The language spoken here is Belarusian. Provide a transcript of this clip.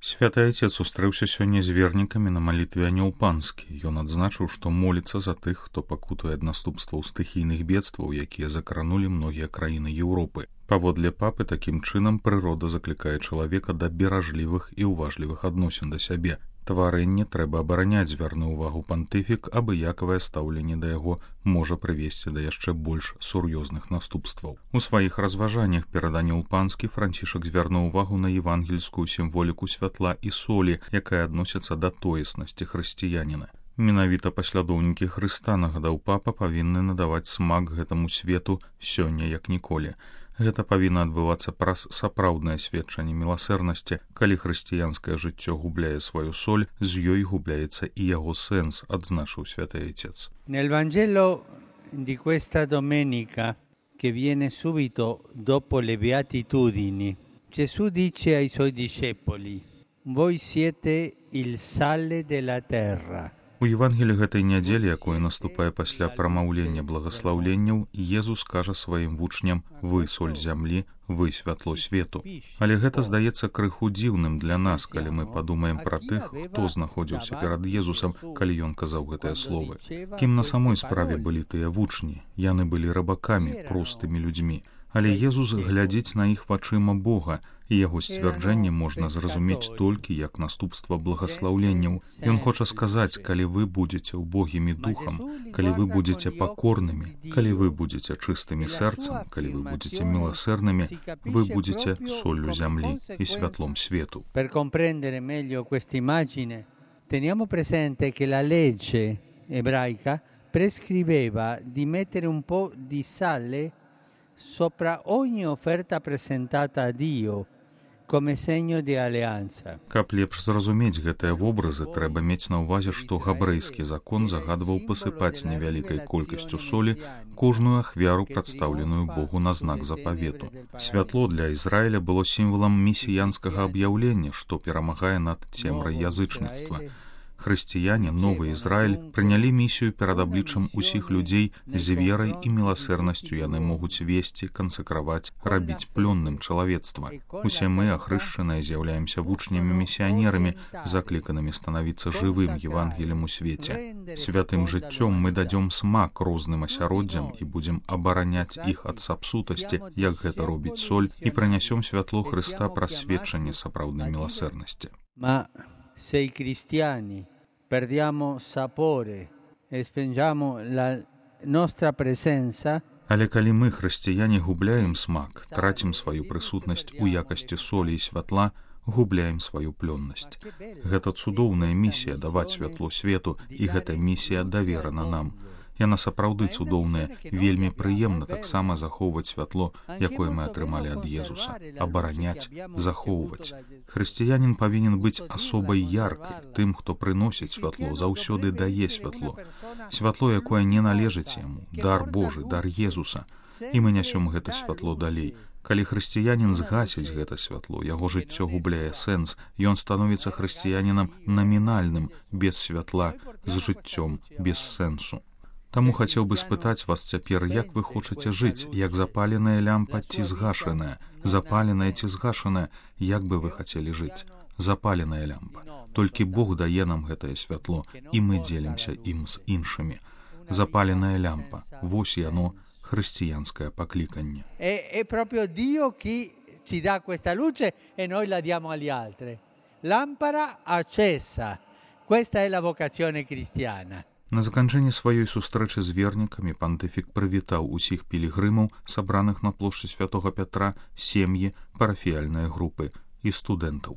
Святы Айцец сустрэўся сёння з вернікамі на малітве Анёл Панскі. Ён адзначыў, што моліцца за тых, хто пакутуе ад наступстваў стыхійных бедстваў, якія закранулі многія краіны Еўропы. Паводле папы, такім чынам прырода заклікае чалавека да беражлівых і ўважлівых адносін да сябе. Тварэнне трэба абараняць, звярнуў увагу пантыфік, абыякавае стаўленне да яго можа прывесці да яшчэ больш сур'ёзных наступстваў. У сваіх разважаннях перад Анёл Панскі Францішак звярнуў увагу на евангельскую сімволіку святла і солі, якая адносіцца да тоеснасці хрысціяніна. Менавіта паслядоўнікі Хрыста, нагадаў папа, павінны надаваць смак гэтаму свету сёння як ніколі. Гэта павінна адбывацца праз сапраўднае сведчанне міласэрнасці. Калі хрысціянскае жыццё губляе сваю соль, з ёй губляецца і яго сэнс, адзначыў святы Айцец. Nel Vangelo di questa domenica, che viene subito dopo le beatitudini, Gesù dice ai suoi discepoli: voi siete il sale della terra. У Евангелі гэтай нядзелі, якое наступае пасля прамаўлення благаслаўленняў, Езус кажа сваім вучням: вы соль зямлі, вы святло свету. Але гэта здаецца крыху дзіўным для нас, калі мы падумаем пра тых, хто знаходзіўся перад Езусам, калі ён казаў гэтыя словы. Кім на самой справе былі тыя вучні? Яны былі рабакамі, простымі людзьмі. Але Езус глядзіць на іх вачыма Бога, і яго сцвярджэнне можна зразумець толькі як наступства благаслаўленняў. Ён хоча сказаць, калі вы будзеце ўбогімі духам, калі вы будзеце пакорнымі, калі вы будзеце чыстымі сэрцам, калі вы будзеце міласэрнымі, вы будзеце соллю зямлі і святлом свету. Per comprendere meglio questa immagine, teniamo presente che la legge ebraica prescriveva di mettere un po' di sale sopra ogni offerta presentata a Dio come segno di alleanza. Каб лепш зразумець гэтыя вобразы, трэба мець на ўвазе, што габрэйскі закон загадваў пасыпаць невялікай колькасцю солі кожную ахвяру, прадстаўленую Богу на знак запавету. Святло для Ізраіля было сімвалам месіянскага аб'яўлення, што перамагае над цемрай язычніцтва. Хрысціяне, новы Ізраіль, прынялі місію перад абліччам усіх людзей. З верай і міласэрнасцю яны могуць весці, кансакраваць, рабіць плённым чалавецтва. Усе мы, ахрышчаныя, з'яўляемся вучнямі-місіянерамі, закліканымі станавіцца жывым Евангелем у свеце. Святым жыццём мы дадзём смак розным асяроддзям і будзем абараняць іх ад сапсутасці, як гэта робіць соль, і прынясём святло Хрыста праз сведчанне сапраўднай міласэрнасці. Se i cristiani perdiamo sapore e spengiamo la nostra presenza, але калі мы, хрысціяне, губляем смак, трацім сваю прысутнасць у якасці солі і святла, губляем сваю плённасць. Гэта цудоўная місія даваць святло свету, і гэтая місія даверана нам. Яна сапраўды цудоўная, вельмі прыемна таксама захоўваць святло, якое мы атрымалі ад Езуса, абараняць, захоўваць. Хрысціянін павінен быць асобай яркай, тым, хто прыносіць святло, заўсёды дае святло. Святло, якое не належыць яму, дар Божы, дар Езуса. І мы нясём гэта святло далей. Калі хрысціянін згасіць гэта святло, яго жыццё губляе сэнс, ён становіцца хрысціянінам намінальным, без святла, з жыццём, без сэнсу. Таму хацеў бы спытаць вас цяпер, як вы хочаце жыць, як запаленая лямпа ці згашаная, запаленая ці згашаная, як бы вы хацелі жыць? Запаленая лямпа. Толькі Бог дае нам гэтае святло, і мы дзелімся ім з іншымі. Запаленая лямпа. Вось яно, хрысціянскае пакліканне. È proprio Dio chi ci dà questa luce e noi la diamo agli altri. Lampara accesa. Questa è la vocazione cristiana. На заканчэнні сваёй сустрэчы з вернікамі пантыфік прывітаў усіх пілігрымаў, сабраных на плошчы святога Пятра, сем'і, парафіяльныя групы і студэнтаў.